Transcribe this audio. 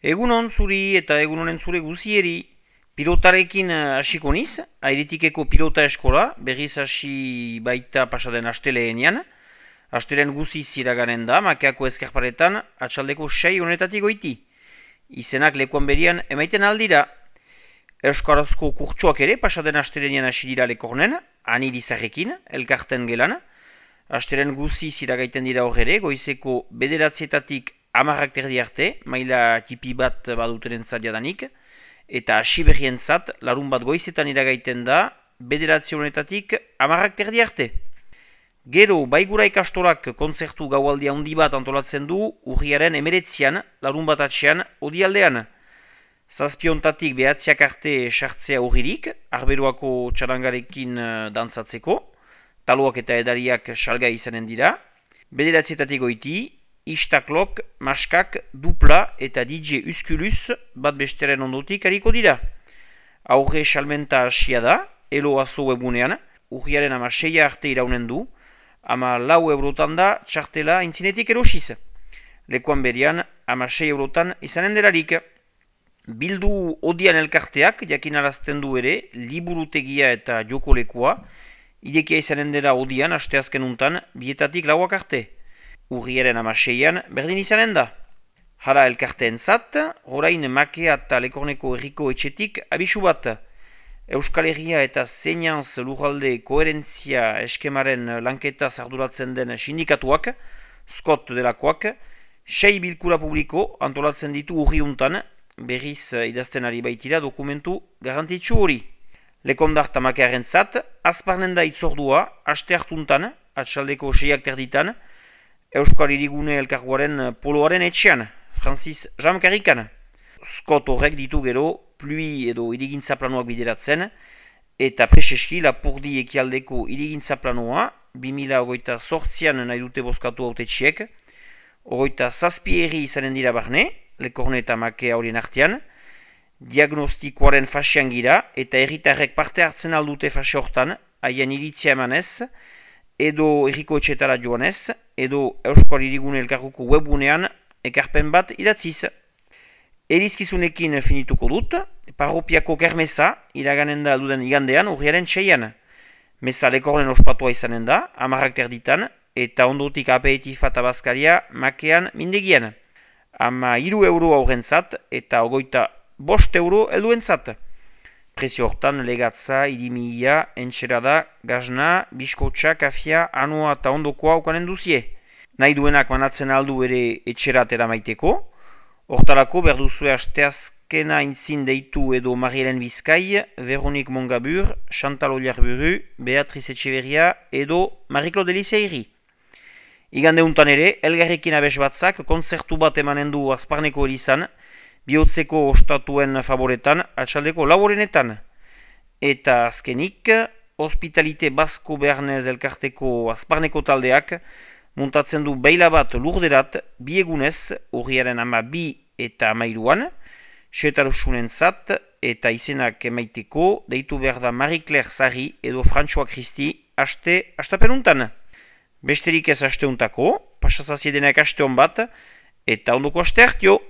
Egunon zuri eta egunonen zure guzieri. Pilotarekin hasiko niz, Airitikeko pilota eskola, berriz hasi baita pasaden asteleenean. Astelen guziz iraganen da, Makeako ezkerparetan, atxaldeko 6 honetatik goiti. Izenak lekuan berian emaiten aldira. Euskarazko kurtsuak ere pasaden asteleenean hasi dira lekornen, ani dizarrekin, elkarten gelan. Astelen guziz iragaiten dira horre, goizeko 9:00 10:00 terdi arte, maila tipi bat badutenen jadanik, eta hasi berrientzat, larun bat goizetan iragaiten da, 9:00 10:00 terdi arte. Gero, Baigura ikastolak kontzertu gaualdi handi bat antolatzen du urriaren 19an, larun bat atxean, odialdean. 7:00 9:00 arte sartzea urririk, arberoako txarangarekin dantzatzeko, taloak eta edariak salgai izanen dira. 9:00 goiti, Istaklok, Maskak, Dupla eta DJ Uskulus bat besteren ondotik hariko dira. Aurre salmenta hasia da, Elo Azo webunean, urriaren 6 arte iraunen du, 4 eurotan da txartela intzinetik erosiz. Lekuan berian, 6 eurotan izanen delarik. Bildu odian elkarteak, jakinarazten du ere, liburutegia eta joko lekua, idekia izanen dela odian, asteazken untan, 2:00 4:00 arte. Urriaren 6an berdin izanen da. Hala elkarteen zat, orain Makea eta Lekorneko herriko etxetik abisu bat. Euskal Herria eta Zeinanz lurralde koherentzia eskemaren lanketa arduratzen den sindikatuak, Scott delakoak, 6 bilkura publiko antolatzen ditu urriuntan, berriz idazten ari baitira dokumentu garantitzu hori. Lekondart Makearen zat, azparnen da itzordua, aste hartuntan, atxaldeko 6 terditan, Euskal Hirigune elkargoaren poloaren etxean, Francis Jamkarrikan. Scott horrek ditu gero, plui edo irigintza planoak bideratzen, eta preseski Lapurdi ekialdeko irigintza planoa, 2028an nahi dute bozkatu hautetxiek, 27 herri izanen dira barne, Lekorne eta Makea horien artean, diagnostikoaren fasean gira, eta herritarrek parte hartzen aldute fase hortan, haien iritzia emanez, edo herriko etxetara joanez, edo Euskal Hirigune elkarguko webunean ekarpen bat idatziz. Erizkizunekin finituko dut, parropiako kermesa iraganen da duden igandean urriaren 6an. Meza Lekornen ospatua izanen da, 10:00 terditan, eta ondotik aperitif eta bazkaria Makean mindegian. 3 euro aurrentzat eta 25 euro helduentzat. Prezio hortan legatza, irimia, entxerada, gazna, biskotxa, kafia, anoa eta ondokoa ukanen duzie. Nahi duenak manatzen aldu ere etxeratera maiteko. Hortarako berduzue asteazkena intzin deitu edo Marielen Bizkai, Veronik Mongabur, Chantal Oliarburu, Beatriz Etxeberria edo Marie-Claude Eliseiri. Igande untan ere, elgarrekin abes batzak kontzertu bat emanen du Azparneko elizan, bihotzeko ostatuen favoretan, atxaldeko laborenetan. Eta azkenik, Hospitalite Basko Bernez elkarteko Azparneko taldeak muntatzen du beila bat lurderat, 2 egunez, urriaren 12 eta 13an, setarusunen zat eta izenak emaiteko, deitu behar da Marie-Claire Sarri edo François Christi astapenuntan. Besterik ez asteuntako, pasazaziedenak asteon bat, eta ondoko aste hartio.